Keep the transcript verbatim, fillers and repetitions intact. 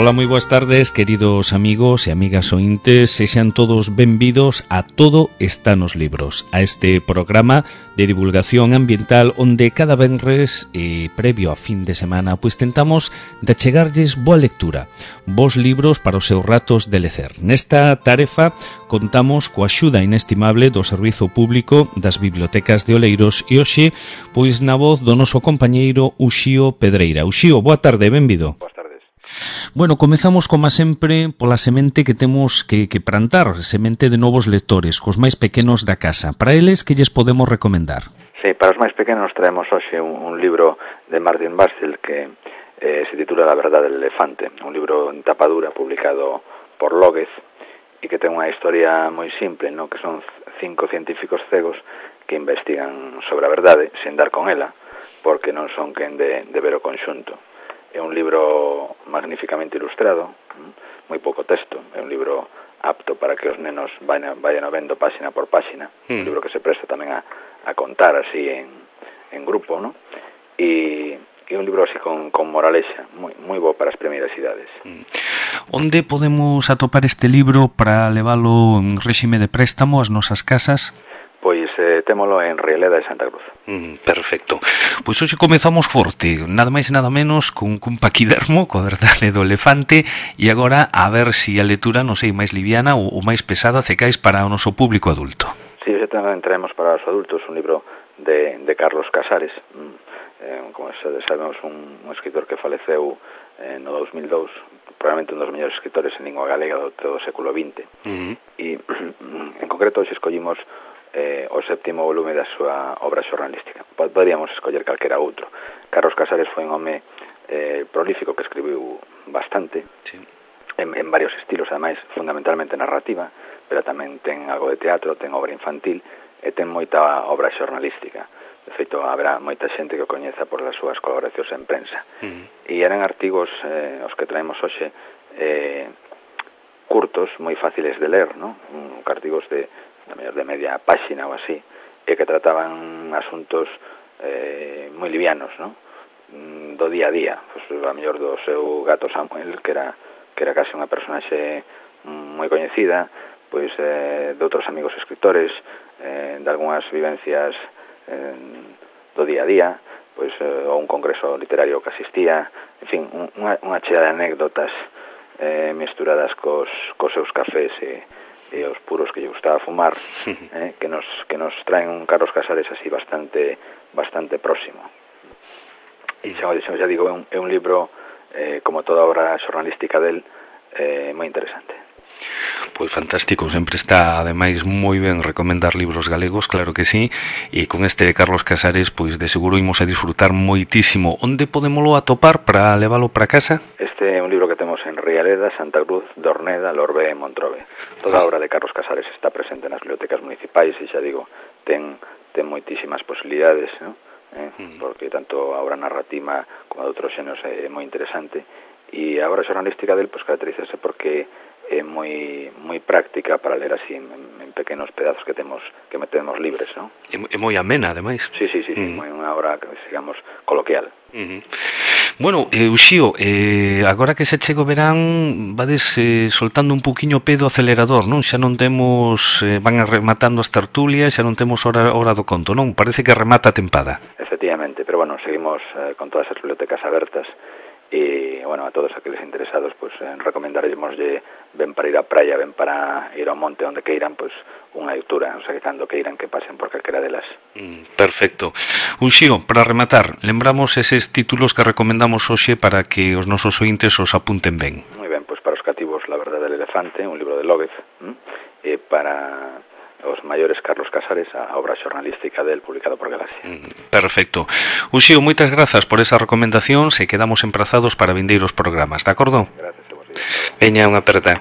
Ola, moi boas tardes, queridos amigos e amigas ointes, sexan todos benvidos a Todo está nos libros, a este programa de divulgación ambiental onde cada venres, eh, previo a fin de semana, pois tentamos de achegarlles boa lectura, bons libros para os seus ratos de lecer. Nesta tarefa contamos coa axuda inestimable do Servizo Público das Bibliotecas de Oleiros e hoxe, pois na voz do noso compañeiro Uxío Pedreira. Uxío, boa tarde, benvido. Boas tardes. Bueno, comezamos, como sempre, pola semente que temos que, que plantar, semente de novos lectores, cos máis pequenos da casa. Para eles, que lles podemos recomendar? Sí, para os máis pequenos traemos hoxe un, un libro de Martin Bastel que eh, se titula La verdade del elefante, un libro en tapa dura publicado por López e que ten unha historia moi simple, ¿no? Que son cinco científicos cegos que investigan sobre a verdade sen dar con ela, porque non son quen de, de ver o conxunto. É un libro magníficamente ilustrado, moi pouco texto, é un libro apto para que os nenos vayan, vayan vendo páxina por páxina, mm. un libro que se presta tamén a, a contar así en, en grupo, ¿no? E, e un libro así con, con moralexa, moi, moi bo para as primeiras idades. Mm. Onde podemos atopar este libro para leválo en réxime de préstamo ás nosas casas? Pois eh, témolo en Rieleda de Santa Cruz. Mm, perfecto. Pois hoxe comezamos forte, nada máis e nada menos cun, cun paquidermo, coa verdade do elefante, e agora a ver se si a lectura, non sei, máis liviana ou, ou máis pesada cecais para o noso público adulto. Sí, hoxe tamén traemos para os adultos un libro de, de Carlos Casares, eh, como sabemos un, un escritor que faleceu eh, no dos mil dous, probablemente un dos mellores escritores en lingua galega do, do século vinte. Uh-huh. E en concreto hoxe escollimos Eh, o séptimo volume da súa obra xornalística. Poderíamos escoller calquera outro. Carlos Casares foi un home eh, prolífico que escribiu bastante, sí. en, en varios estilos, ademais, fundamentalmente narrativa, pero tamén ten algo de teatro, ten obra infantil e ten moita obra xornalística. De feito, haberá moita xente que o coñeza por as súas colaboracións en prensa. Uh-huh. E eran artigos, eh, os que traemos hoxe, eh, curtos, moi fáciles de ler, ¿no? Un, artigos de de media páxina ou así, e que trataban asuntos eh, moi livianos, ¿no? Do día a día, pues, a mellor do seu gato Samuel, que era que era case unha personaxe moi coñecida, pois eh, de outros amigos escritores, eh, de algunhas vivencias eh, do día a día, pois eh, ou un congreso literario que asistía, en fin, unha, unha chea de anécdotas eh, misturadas cos, cos seus cafés e e os puros que lle gustaba fumar, eh, que nos que nos traen un Carlos Casares así bastante bastante próximo. E xa, xa, xa digo, é un, é un libro, eh, como toda obra xornalística del, eh, moi interesante. Pois fantástico, sempre está ademais moi ben recomendar libros galegos, claro que sí, e con este de Carlos Casares, pois de seguro imos a disfrutar moitísimo. Onde podémolo atopar para leválo para casa? Este é un libro que temos en Rialeda, Santa Cruz, Dorneda, Lorbe e Montrobe. Toda a obra de Carlos Casares está presente nas bibliotecas municipais e xa digo, ten, ten moitísimas posibilidades, ¿no? eh? mm. porque tanto a obra narrativa como a de outros xenos é moi interesante, e a obra xornalística del pois caracterízase porque é moi moi práctica para ler así en, en pequenos pedazos que temos que metemos libres, ¿no? É moi amena, ademais. Sí, sí, sí, sí, mm. moi unha obra, digamos, coloquial. Uh-huh. Bueno, eh, Uxío, eh, agora que se chega o verán, vades eh, soltando un poquinho o pé do acelerador, non? Xa non temos, eh, van rematando as tertulias, xa non temos hora, hora do conto, non? Parece que remata a tempada. Efectivamente, pero bueno, seguimos eh, con todas as bibliotecas abertas. E, bueno, a todos aqueles interesados, pues, eh, recomendaremoslle ben para ir á praia, ben para ir ao monte onde queiran, pues, unha lectura, o sea, que cando queiran que pasen por calquera delas. Mm, perfecto. Uxío, para rematar, lembramos eses títulos que recomendamos hoxe para que os nosos ointes os apunten ben. Moi ben, pues para os cativos La verdade del elefante, un libro de López, ¿m? e para os maiores Carlos Casares, a obra xornalística del publicado por Galaxia. Mm, perfecto. Uxío, moitas grazas por esa recomendación, se quedamos emprazados para vindeiros programas, de acordo? Gracias a vos. Veña, unha aperta.